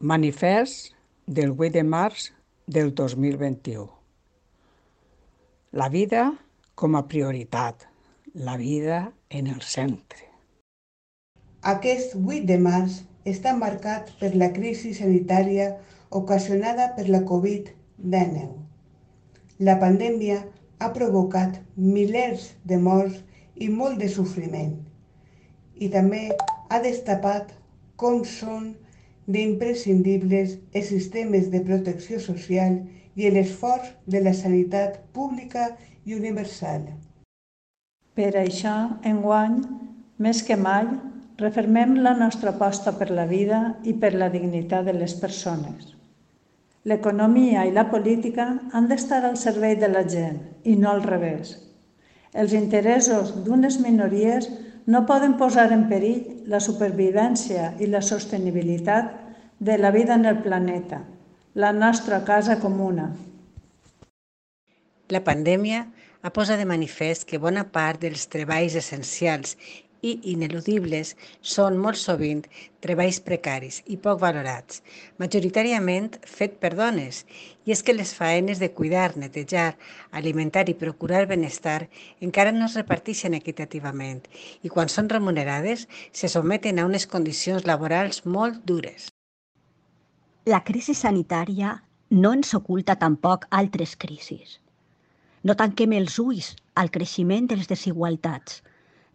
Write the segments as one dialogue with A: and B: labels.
A: Manifest del 8 de març del 2021. La vida com a prioritat, la vida en el centre.
B: Aquest 8 de març està marcat per la crisi sanitària ocasionada per la Covid-19. La pandèmia ha provocat milers de morts i molt de sofriment, i també ha destapat com són d'imprescindibles els sistemes de protecció social i l'esforç de la sanitat pública i universal.
C: Per això, enguany, més que mai, refermem la nostra aposta per la vida i per la dignitat de les persones. L'economia i la política han d'estar al servei de la gent i no al revés. Els interessos d'unes minories no poden posar en perill la supervivència i la sostenibilitat de la vida en el planeta, la nostra casa comuna.
D: La pandèmia ha posat de manifest que bona part dels treballs essencials i ineludibles són molt sovint treballs precaris i poc valorats, majoritàriament fet per dones, i és que les faenes de cuidar, netejar, alimentar i procurar benestar encara no es reparteixen equitativament i quan són remunerades se sotmeten a unes condicions laborals molt dures.
E: La crisi sanitària no ens oculta tampoc altres crisis. No tanquem els ulls al creixement de les desigualtats,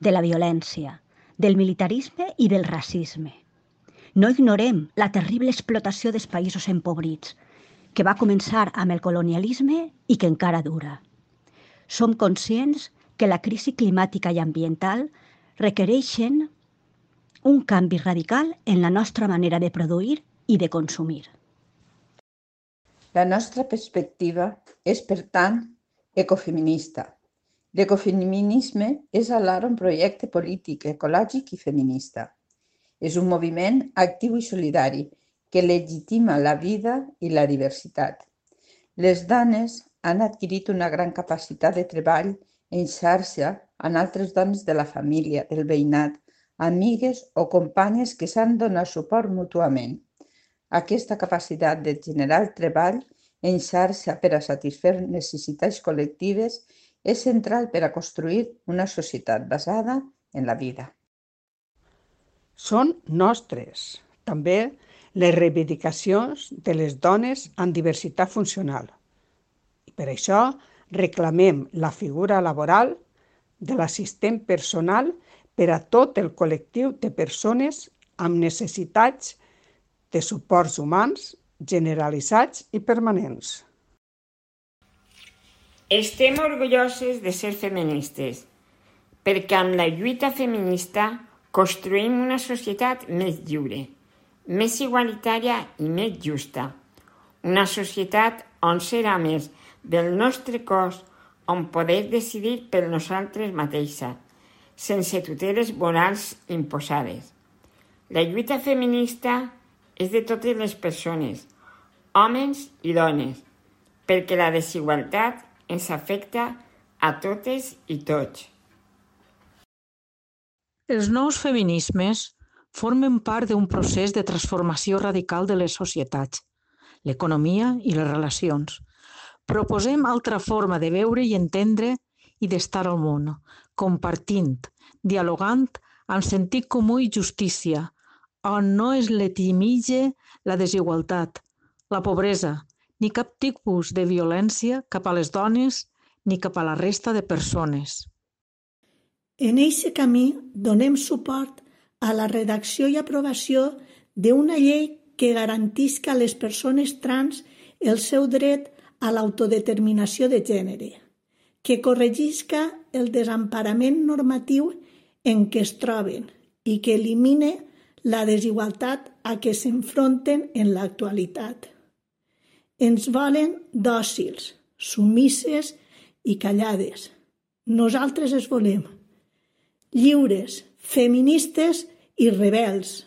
E: de la violència, del militarisme i del racisme. No ignorem la terrible explotació dels països empobrits, que va començar amb el colonialisme i que encara dura. Som conscients que la crisi climàtica i ambiental requereixen un canvi radical en la nostra manera de produir i de consumir.
F: La nostra perspectiva és, per tant, ecofeminista. L'ecofeminisme és alhora un projecte polític, ecològic i feminista. És un moviment actiu i solidari que legitima la vida i la diversitat. Les dones han adquirit una gran capacitat de treball en xarxa amb altres dones de la família, del veïnat, amigues o companyes que s'han donat suport mútuament. Aquesta capacitat de generar treball en xarxa per a satisfer necessitats col·lectives és central per a construir una societat basada en la vida.
A: Són nostres, també, les reivindicacions de les dones amb diversitat funcional. I per això reclamem la figura laboral de l'assistent personal per a tot el col·lectiu de persones amb necessitats de suports humans generalitzats i permanents.
G: Estem orgulloses de ser feministes, perquè amb la lluita feminista construïm una societat més lliure, més igualitària i més justa. Una societat on ser homes del nostre cos, on poder decidir per nosaltres mateixes, sense tuteles morals imposades. La lluita feminista és de totes les persones, homes i dones, perquè la desigualtat ens afecta a totes i tots.
H: Els nous feminismes formen part d'un procés de transformació radical de les societats, l'economia i les relacions. Proposem altra forma de veure i entendre i d'estar al món, compartint, dialogant amb sentit comú i justícia, on no es letimitja la desigualtat, la pobresa, ni cap tipus de violència cap a les dones ni cap a la resta de persones.
I: En aquest camí donem suport a la redacció i aprovació d'una llei que garantisca a les persones trans el seu dret a l'autodeterminació de gènere, que corregisca el desemparament normatiu en què es troben i que elimine la desigualtat a què s'enfronten en l'actualitat. Ens volen dòcils, submises i callades. Nosaltres es volem lliures, feministes i rebels.